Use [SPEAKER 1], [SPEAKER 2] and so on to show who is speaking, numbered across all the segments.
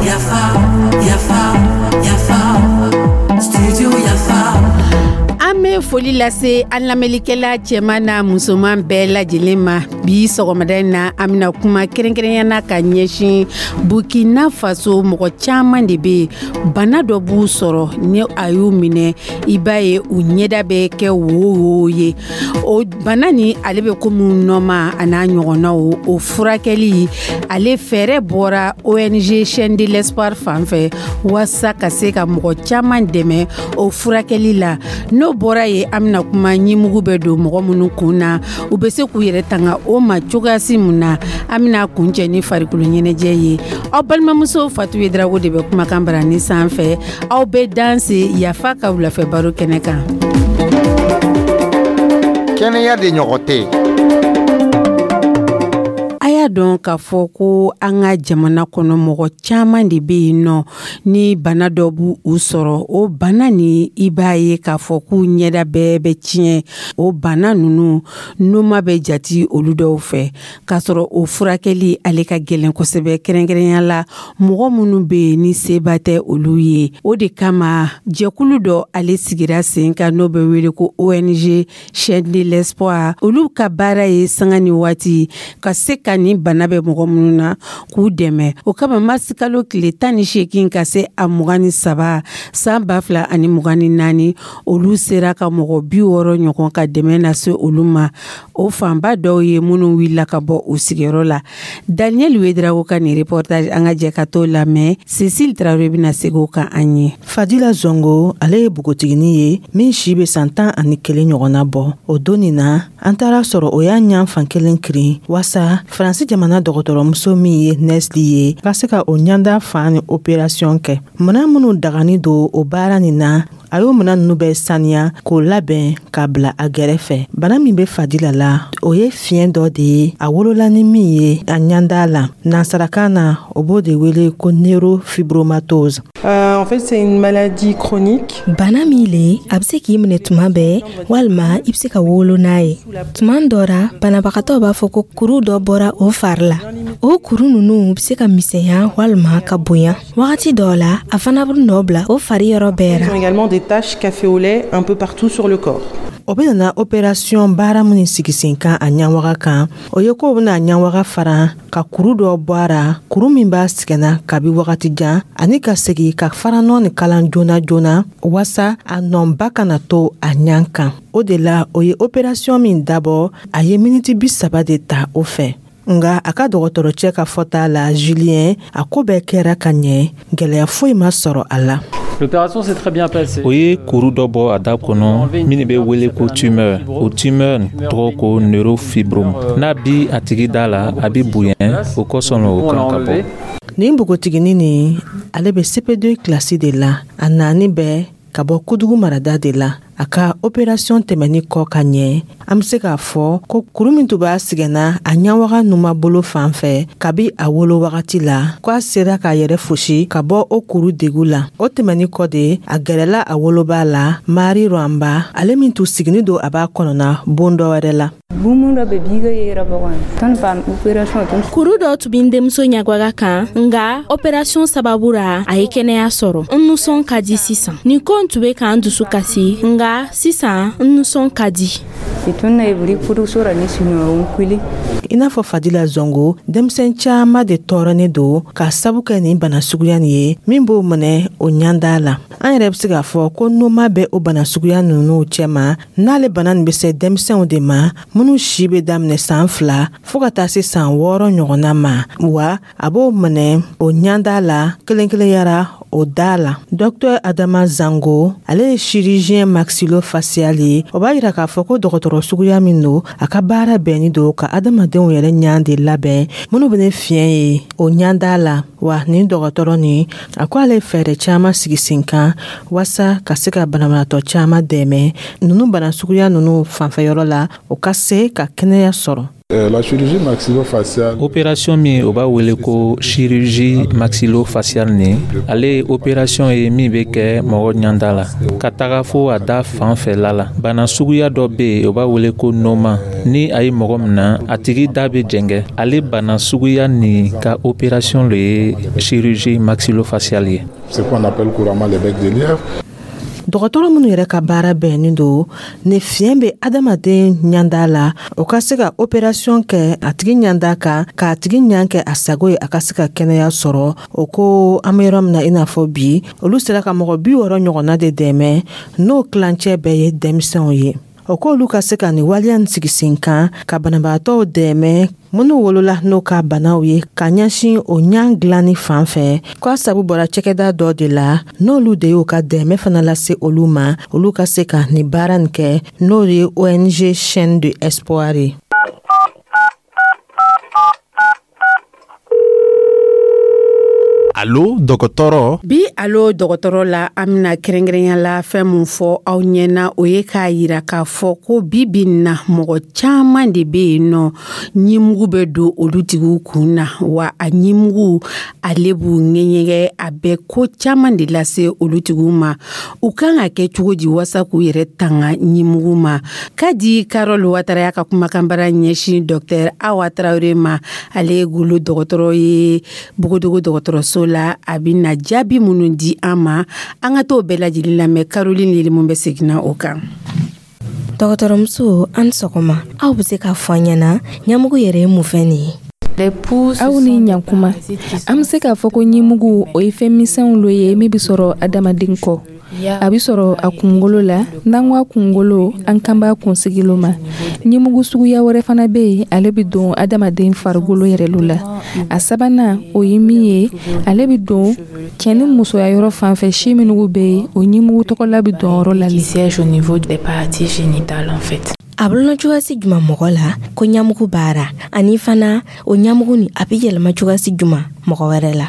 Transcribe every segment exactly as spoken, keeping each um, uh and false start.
[SPEAKER 1] Yafa, yafa, yafa, studio Yafa.
[SPEAKER 2] An bɛ foli lase an lamɛnlikɛla cɛman n'a musoman bɛɛ lajɛlen ma. Bi sɔgɔmada in na, an bɛna kuma kɛrɛnkɛrɛnya na ka ɲɛsin Burkina Faso. Mɔgɔ caman de bɛ yen, bana dɔ b'u sɔrɔ, ni a y'u minɛ, i b'a ye u ɲɛda bɛ kɛ wo wo ye. O bana ni ale bɛ komi nɔma a n'a ɲɔgɔnnaw. O furakɛli, ale fɛɛrɛ bɔra O N G Chaîne de l'Espoir fan fɛ walasa ka se ka mɔgɔ caman dɛmɛ o furakɛli la. N'o bɔra yen, an bɛna kuma ɲimugu bɛ don mɔgɔ minnu kun na, u bɛ se k'u yɛrɛ tanga o ma cogoyasi mun na. An bɛna kuncɛ ni farikolo ɲɛnajɛ ye. Aw balimamuso Fatu Yedrago de bɛ kumakan barani sanfɛ. Aw bɛ danse Yafa ka wulafɛ baro kɛnɛ kan.
[SPEAKER 3] Kɛnɛya de ɲɔgɔn tɛ.
[SPEAKER 2] A y'a dɔn k'a fɔ ko an ka jamana kɔnɔ, mɔgɔ caman de bɛ yen nɔ, ni bana dɔ b'u u sɔrɔ, o bana ni i b'a ye k'a fɔ k'u ɲɛda bɛɛ bɛ tiɲɛ. O bana ninnu, noma bɛ jati olu dɔw fɛ, k'a sɔrɔ o furakɛli ale ka gɛlɛn kosɛbɛ, kɛrɛnkɛrɛnya la mɔgɔ minnu bɛ yen ni seba tɛ olu ye. O de kama jɛkulu dɔ ale sigira sen kan, n'o bɛ wele ko O N G Chaîne de l'Espoir. Olu ka baara ye sanga ni waati ka se ka nin bana bɛ mɔgɔ minnu na, k'u dɛmɛ. O kama, marisikalo tile tan ni seegin ka se a mugan ni saba san ba fila ani mugan ni naani, olu sera ka mɔgɔ bi wɔɔrɔ ɲɔgɔn ka dɛmɛ lase olu ma. O fanba dɔw ye minnu wulila ka bɔ u sigiyɔrɔ la. Daniel Wedrago ka nin reportage, an ka jɛ ka t'o lamɛn. Cécile Traoré bɛna segin o kan an ye.
[SPEAKER 4] Fadila Zongo, ale ye npogotiginin ye min si bɛ san tan ani kelen ɲɔgɔnna bɔ. O don nin na, an taara sɔrɔ o y'a ɲan fan kelen kirin waasa Faransi jamana dɔgɔtɔrɔmuso min ye Nesli ye ka se ka o ɲanda fan ni opération kɛ. Minan minnu dagani don o baara nin na, a y'o minan nunu bɛɛ saniya k'o labɛn k'a bila a gɛrɛfɛ. Bana min bɛ Fadila la, o ye fiɲɛ dɔ de ye a wolola ni min ye a ɲanda la. Nansarakan na, o b'o de wele ko neurofibromatose.
[SPEAKER 5] Euh, en fait, c'est une maladie chronique.
[SPEAKER 6] Bana min le, a bɛ se k'i minɛ tuma bɛɛ, walima i bɛ se ka wolo n'a ye. Tuma dɔ ra, banabagatɔ b'a fɔ ko kuru dɔ bɔra o fari la. O kuru ninnu bɛ se ka misɛnya walima ka bonya. Wagati dɔw la, a fana bɛ nɔ bila o fari yɔrɔ bɛɛ
[SPEAKER 5] Ils
[SPEAKER 6] ra.
[SPEAKER 5] ont également des taches café au lait un peu partout sur le corps.
[SPEAKER 4] O bɛ nana opération baara minnu sigi sen kan a ɲawaga kan, o ye ko bɛna ɲawaga fara ka kuru dɔ bɔ a ra, kuru min b'a sɛgɛnna kabi wagati jan, ani ka segi ka faranɔ ni kalan joona joona waasa a nɔba kana to a ɲan kan. O de la, o ye opération min dabɔ, a ye miniti bi saba de ta o fɛ. Nga a ka dɔgɔtɔrɔcɛ ka fɔta la, Julien, a ko bɛɛ kɛra ka ɲɛ, gwɛlɛya foyi ma sɔrɔ a la.
[SPEAKER 7] L'opération s'est très bien passée.
[SPEAKER 8] O ye kuru dɔ bɔ a da kɔnɔ min bɛ wele ko tumeur. O tumeur tɔgɔ ko neurofibrome. N'a bi a tigi da la, a bi bonya. O kosɔn o kan ka bɔ.
[SPEAKER 4] Nin npogotiginin nin, ale bɛ C P deux kilasi de la. A naani bɛɛ ka bɔ Kudugu marada de la. A ka opération tɛmɛni kɔ ka ɲɛ, an be se k'a fɔ ko kuru min tun b'a sɛgɛnna a ɲawaga numa bolo fan fɛ kabi a wolo wagati la, ko a sera k'a yɛrɛ fosi ka bɔ o kuru degu la. O tɛmɛni kɔ de, a gɛrɛla a woloba la, Mari Rwamba, ale min tun sigini don a b'a kɔnɔna bon dɔ wɛrɛ la.
[SPEAKER 9] Kuru dɔ tun bɛ n denmuso ɲagwaga kan, nga opération sababu ra, a ye kɛnɛya sɔrɔ. N nusɔn ka di sisan. Nin ko n tun bɛ k'an dusu kasi, nga sisan n nusɔn ka di.
[SPEAKER 4] I n'a fɔ Fadila Zongo, denmisɛn caaman de tɔɔrɔnen don k'a sabu kɛ nin bana suguya nin ye min b'o minɛ o ɲanda la. An yɛrɛ be se k'a fɔ ko noma bɛ o bana suguya ninnu cɛma. N'ale bana nin be se denmisɛnw de ma minnu si be daminɛ saan fila fɔɔ ka taa se saan wɔɔrɔ ɲɔgɔnna ma, wa a b'o minɛ o ɲanda la kelen kelenyara o da la. Dɔktɛr Adama Zango, ale ye chirurgien maxillofacial ye. O b'a yira k'a fɔ ko dɔgɔtɔrɔ suguya min don, a ka baara bɛnni don ka adamadenw yɛrɛ ɲan de labɛn minnu bɛ ne fiɲɛ ye o ɲanda la. Wa nin dɔgɔtɔrɔ nin, a ko ale ye fɛɛrɛ caaman sigi sen kan waasa ka se ka banabaatɔ caaman dɛmɛ ninnu bana suguya ninnu fanfɛyɔrɔ la, o ka se ka kɛnɛya sɔrɔ.
[SPEAKER 10] La chirurgie maxillofaciale.
[SPEAKER 8] Opération min o b'a wele ko chirurgie maxillofaciale nin, ale ye opération ye min bɛ kɛ mɔgɔ ɲanda la ka taga fo a da fan fɛla la. Bana suguya dɔ bɛ yen, o b'a wele ko noma. Ni a ye mɔgɔ minɛ, a tigi da bɛ jɛngɛ. Ale bana suguya nin ka opération le ye chirurgie maxillofaciale ye.
[SPEAKER 10] Ce qu'on appelle couramment les becs de lièvre.
[SPEAKER 4] Dɔgɔtɔrɔ minnu yɛrɛ ka baara bɛnnen don ni fiɲɛ bɛ adamaden ɲanda la, o ka se ka operasiyɔn kɛ a tigi ɲanda kan, k'a tigi ɲan kɛ a sago ye, a ka se ka kɛnɛya sɔrɔ. O ko an bɛ yɔrɔ min na i n'a fɔ bi, olu sera ka mɔgɔ bi wɔɔrɔ ɲɔgɔnna de dɛmɛ, n'o tilancɛ bɛɛ ye denmisɛnw ye. O k'olu ka se ka nin waleya nin sigi sen kan ka banabaatɔw dɛmɛ minnu wolola n'o ka banaw ye, ka ɲɛsin o ɲan dilanni fan fɛ, k'a sabu bɔra cakɛda dɔ de la, n'olu de y'o ka dɛmɛ fana lase olu ma, olu ka se ka nin baara nin kɛ, n'o ye O N G Chaîne de Espoir ye.
[SPEAKER 11] Alo dɔgɔtɔrɔ.
[SPEAKER 2] Bi alo dɔgɔtɔrɔ la, an bɛna kɛrɛnkɛrɛnya la fɛn mun fɔ aw ɲɛna, o ye k'a yira k'a fɔ ko bi bi in na, mɔgɔ caman de bɛ yen nɔ, ɲimugu bɛ don olu tigiw kun na, wa a ɲimugu ale b'u ŋɛɲɛgɛ, a bɛ ko caman de lase olu tigiw ma. U kan ka kɛ cogo di wasa k'u yɛrɛ tanga ɲimugu ma? Kadi Karol Watara y'a ka kumakanbara ɲɛsin Docteur Awa Tarawele ma, ale ye golo dɔgɔtɔrɔ ye Bogodogo dɔgɔtɔrɔso la. A bɛna jaabi minnu di an ma, an ka t'o bɛɛ lajɛlen lamɛn. Caroline Yelimu bɛ seginna o kan.
[SPEAKER 6] Dɔgɔtɔrɔmuso, an sɔgɔma. Aw bɛ se k'a fɔ an ɲɛna ɲamugu yɛrɛ ye mun fɛn nin ye?
[SPEAKER 12] Aw ni ɲankuma. An bɛ se k'a fɔ ko ɲimugu, o ye fɛn misɛnw lo ye min bɛ sɔrɔ adamaden kɔ. A bɛ sɔrɔ a kunkolo la. N'an ko a kunkolo, an kan b'a kunsigi lo ma. Ɲimugu suguya wɛrɛ fana bɛ yen, ale bɛ don adamaden farikolo yɛrɛ lo la. A sabanan, o ye min ye, ale bɛ don cɛ ni musoya yɔrɔ fan fɛ, si minnu bɛ yen, o ɲimugu tɔgɔla bɛ don yɔrɔ la.
[SPEAKER 6] A bɛ cogoya si jumɛn mɔgɔ la ko ɲamugu baara, ani fana o ɲamugu nin a bɛ yɛlɛma cogoya si jumɛn mɔgɔ wɛrɛ la?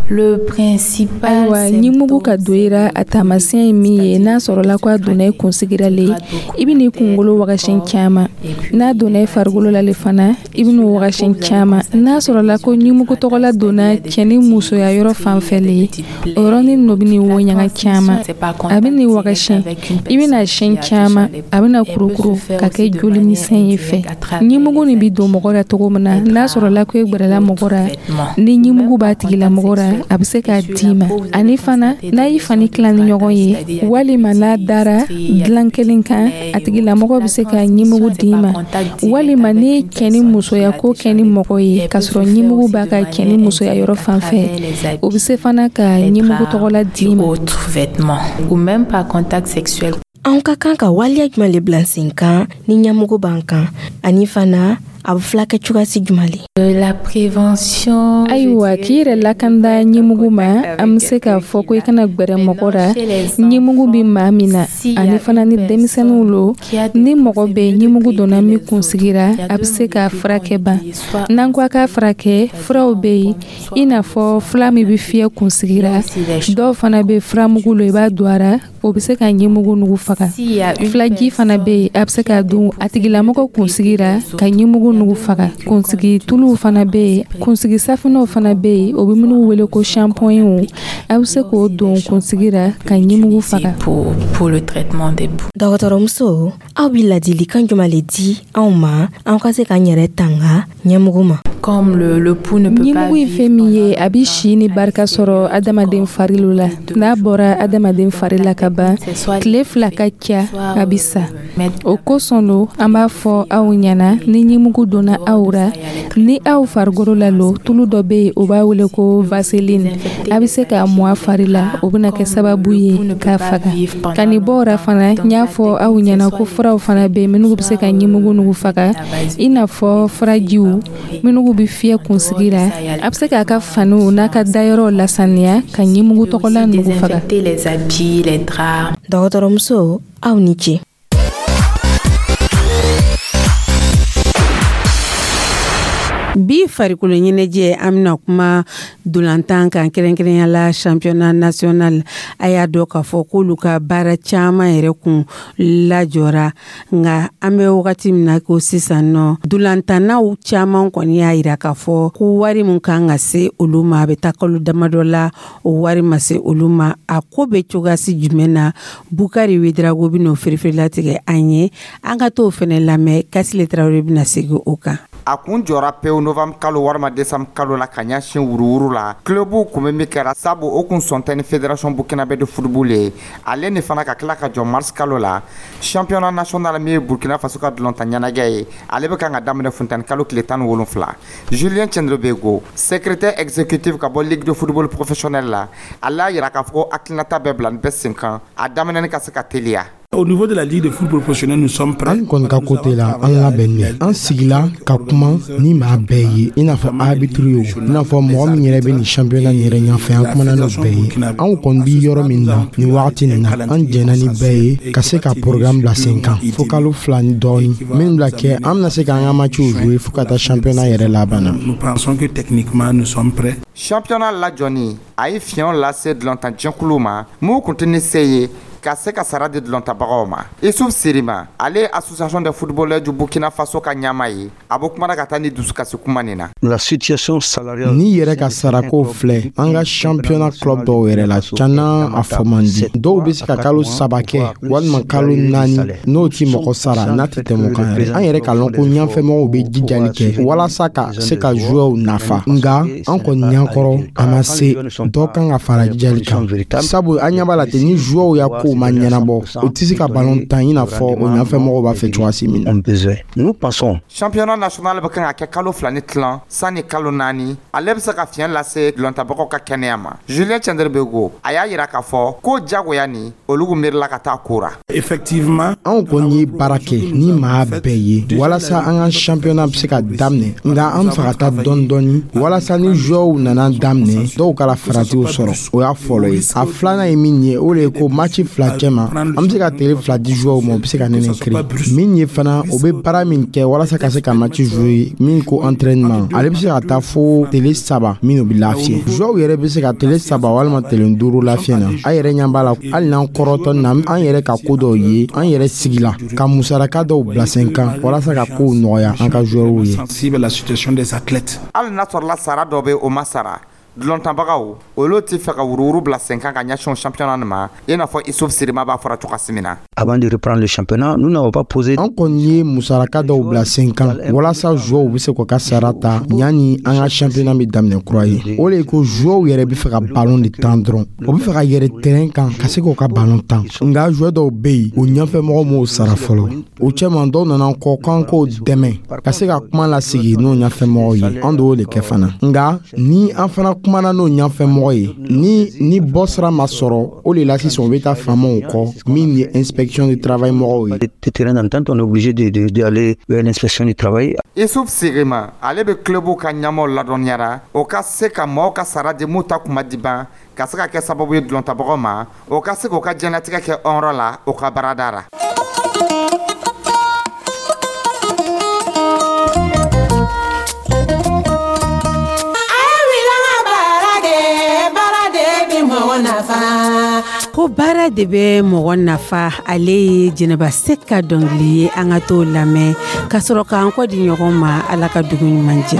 [SPEAKER 12] Le principal. Ayiwa, ɲimugu ka don i ra, a taamasiyɛn ye min ye, n'a sɔrɔla ko a donna i kunsigira le, i bɛ n'i kunkolo wagasiyɛn caman. N'a donna i farikolo la le fana, i bɛ n'o wagasiyɛn caman. N'a sɔrɔla ko ɲimugu tɔgɔla donna cɛ ni musoya yɔrɔ fan fɛ le, o yɔrɔnin nɔ bɛ n'i wo ɲaga caman. A bɛ n'i wagasiyɛn, i bɛ n'a siyɛn caman, a bɛ na kurukuru ka kɛ joli misɛn ye fɛ. Ɲimugu nin bɛ don mɔgɔ la cogo min na, n'a sɔrɔla ko e gbɛrɛla mɔgɔ la, ni ɲimugu b'a tigilamɔgɔ la, a bɛ se k'a d'i ma. Ani fana, n'a y'i fani tila ni ɲɔgɔn ye, walima n'a dara dilan kelen kan, a tigilamɔgɔ bɛ se ka ɲimugu d'i ma. Walima n'i ye cɛ ni musoya ko kɛ ni mɔgɔ ye k'a sɔrɔ ɲimugu b'a ka cɛ ni musoya yɔrɔ fan fɛ, o bɛ se fana ka ɲimugu tɔgɔla d'i ma.
[SPEAKER 6] Anw ka kan ka waleya jumɛn le bila sen kan ni ɲamugu b'an kan, ani fana a bɛ fulakɛ cogoya si jumɛn le?
[SPEAKER 12] La prévention. Ayiwa, k'i yɛrɛ lakanda ɲimugu ma, an bɛ se k'a fɔ ko i kana gbɛrɛ mɔgɔ la ɲimugu bɛ maa min na, ani fana ni denmisɛnninw lo. Ni mɔgɔ bɛ ɲimugu donna min kunsigira, a bɛ se k'a furakɛ ban. N'an ko a k'a furakɛ, furaw bɛ yen, i n'a fɔ fura min bɛ fiyɛ kunsigira, dɔw fana bɛ furamugu lo, i b'a don a ra, o bɛ se ka ɲimugu nugu faga. Filaji fana bɛ yen, a bɛ se k'a don a tigilamɔgɔ kunsigira ka ɲimugu nugu faga. Kunsigi tuluw fana bɛ yen, kunsigi safunɛw fana bɛ yen, o bɛ minnu wele ko shampoing, a bɛ se k'o don kunsigi la ka ɲimugu faga.
[SPEAKER 6] Dɔgɔtɔrɔmuso, aw bɛ ladilikan jumɛn le di anw ma, an ka se k'an yɛrɛ tanga ɲɛmugu ma?
[SPEAKER 12] Ɲimugu ye fɛn min ye, a bɛ si ni barika sɔrɔ adamaden fari la. N'a bɔra adamaden fari la ka ban, tile fila ka ca, a bɛ sa. O kosɔn lo an b'a fɔ aw ɲɛna, ni ɲimugu donna aw ra, ni aw farikolo la lo, tulu dɔ bɛ yen, o b'a wele ko vaseline, a bɛ se k'a mɔ a fari la, o bɛna kɛ sababu ye k'a faga. Ka nin bɔ o ra fana, n y'a fɔ aw ɲɛna ko furaw fana bɛ yen minnu bɛ se ka ɲimugu nugu faga, i n'a fɔ furajiw minnu bɛ fiyɛ kunsigi la. A bɛ se k'a ka faniw n'a ka dayɔrɔw lasaniya ka ɲimugu tɔgɔla nugu faga.
[SPEAKER 6] Dɔgɔtɔrɔmuso, aw ni ce.
[SPEAKER 2] Bi farikolo ɲɛnajɛ, an bɛna kuma dolantan kan, kɛrɛnkɛrɛnya la championnat national. A y'a dɔn k'a fɔ k'olu ka baara caman yɛrɛ kun lajɔra, nka an bɛ wagati min na ko sisan nɔ, dolantannaw caman kɔni y'a yira k'a fɔ ko wari min kan ka se olu ma, a bɛ taa kalo damadɔ la, o wari ma se olu ma. A ko bɛ cogoyasi jumɛn na? Bukari Wedrago bɛ n'o firifirilatigɛ an ye. An ka t'o fɛnɛ lamɛn. Kasile Tarawele bɛna segin o kan.
[SPEAKER 3] A kun jɔra pewu novembre kalo walima décembre kalo la ka ɲɛsin wuruwuru la. Clubw kun bɛ min kɛra sabu o kun sɔn tɛ ni Fédération burkinabé de football ye. Ale ni fana ka tila ka jɔ mars kalo la. Championnat national min ye Burkina Faso ka dulontan ɲɛnajɛ ye, ale bɛ kan ka daminɛ funtɛni kalo tile tan ni wolonfila. Julien Tiendrebego, secrétaire exécutif ka bɔ Ligue de football professionnel la, ale y'a yira k'a fɔ ko hakilinata bɛɛ bila nin bɛɛ sen kan, a daminɛni ka se ka teliya.
[SPEAKER 11] Au niveau de la Ligue de football professionnel, nous sommes prêts.
[SPEAKER 13] An kɔni ka côté la, an labɛnnen, an sigila ka kuma ni maa bɛɛ ye, i n'a fɔ arbitre ye, o i n'a fɔ mɔgɔ min yɛrɛ bɛ nin championnat nin yɛrɛ ɲɛfɛ, an kumana n'o bɛɛ ye. Anw kɔni bi yɔrɔ min na nin wagati nin na, an jɛnna ni bɛɛ ye ka se ka programme bila sen kan fo kalo fila ni dɔɔni min bila kɛ, an bɛna se k'an ka matchw jouer fo ka taa championnat yɛrɛ laban na.
[SPEAKER 11] Nous pensons que techniquement nous sommes prêts.
[SPEAKER 3] Championnat lajɔni, a ye fiɲɛw lase dulontanjɛkuluw ma mun kun tɛ ni se ye ka se ka sara di dulontabagaw ma. Isuf Sirima, ale ye Association des footballeurs du Burkina Faso ka ɲɛmaa ye, a bɔ kumana ka taa ni dusukasi kuma nin na.
[SPEAKER 14] La situation salariale.
[SPEAKER 13] N'i yɛrɛ ka sarako filɛ, an ka championnat club dɔw yɛrɛ la, cana a fɔ man di. Dɔw bɛ se ka kalo saba kɛ walima kalo naani n'o ti mɔgɔ sara, n'a tɛ tɛmɛ o kan yɛrɛ. An yɛrɛ k'a lɔn ko ɲɛfɛmɔgɔw bɛ jijali kɛ walasa ka se ka joueurs nafa, nka an kɔni ɲɛkɔrɔ a ma se. Dɔ kan ka fara jijali kan, sabu an ɲɛ b'a la ten, ni joueurs ya kow ma ɲɛnabɔ, o tɛ se ka ballon tan i n'a fɔ o ɲɛfɛmɔgɔw b'a fɛ cogoya min na.
[SPEAKER 14] Nous pensons.
[SPEAKER 3] Championnat national bɛ kan ka kɛ kalo fila ni tilan sanni kalo naani, ale bɛ se ka fiɲɛ lase dulontabagaw ka kɛnɛya ma. Julien Tiendrebego, a y'a yira k'a fɔ ko jagoya ni olu miirila ka taa ko ra.
[SPEAKER 11] Effectivement,
[SPEAKER 13] anw kɔni ye baara kɛ ni maa bɛɛ ye walasa an ka championnat bɛ se ka daminɛ, nka an bɛ fɛ ka taa dɔɔni dɔɔni walasa ni joueurs nana daminɛ, dɔw kɛra faratiw sɔrɔ. O y'a fɔlɔ ye. A filanan ye min ye, o de ye ko match fila cɛ ma, an bɛ se ka tile fila di joueurs ma, u bɛ se ka nɛnɛ kiri min ye fana. O bɛ baara min kɛ walasa ka se ka match jouer, min ko entraînement, ale bɛ se ka taa fo tile saba min bɛ lafiya. Joueurs yɛrɛ bɛ se ka tile saba walima tile duuru lafiya na. An yɛrɛ ɲɛ b'a la, hali n'an kɔrɔtɔ na, an yɛrɛ ka ko dɔw ye, an yɛrɛ sigila ka musaraka dɔw bila sen kan walasa ka kow nɔgɔya an ka joueurs ye.
[SPEAKER 11] Sensible à la situation des athlètes.
[SPEAKER 3] Hali n'a sɔrɔla sara dɔ bɛ, o ma sara, dulontanbagaw olu tɛ fɛ ka wuruwuru bila sen kan ka ɲɛsin championnat nin ma, i n'a fɔ Isuf Sirima b'a fɔra cogoya min na.
[SPEAKER 14] Avant de reprendre le championnat, nous n'avons pas posé.
[SPEAKER 13] An kɔni ye musaraka dɔw bila sen kan walasa joueurs bɛ se k'u ka sara ta yanni an ka championnat bɛ daminɛ kura ye. O de ye ko joueurs yɛrɛ bɛ fɛ ka ballon de tan dɔrɔn, o bɛ fɛ ka yɛrɛ terrain kan ka se k'u ka ballon tan, nka joueur dɔw bɛ yen, o ɲɛfɛmɔgɔw m'o sara fɔlɔ. O cɛman dɔw nana kɔ k'an k'o dɛmɛ ka se ka kuma lasigi n'o ɲɛfɛmɔgɔw ye. An d'o de kɛ fana, nka ni an fana kumana n'o ɲɛfɛmɔgɔ ye, ni ni bɔ sira ma sɔrɔ, o de la sisan o bɛ taa faamaw kɔ min ye inspection du travail mɔgɔw ye.
[SPEAKER 14] Des terrains d'entente, on est obligé d'aller vers l'inspection du travail.
[SPEAKER 3] Isuf Sirima, ale bɛ club ka ɲɛmaaw ladɔnniyara o ka se ka maaw ka sara di mun ta kuma di ban, ka se ka kɛ sababu ye dulontabagaw ma, o ka se k'u ka diɲɛlatigɛ kɛ hɔrɔn la o ka baarada la.
[SPEAKER 2] Ko baara de bɛ mɔgɔ nafa, ale ye Jɛnɛba Se ka dɔnkili ye. An ka t'o lamɛn ka sɔrɔ k'an kɔ di ɲɔgɔn ma. Ala ka dugu ɲuman jɛ.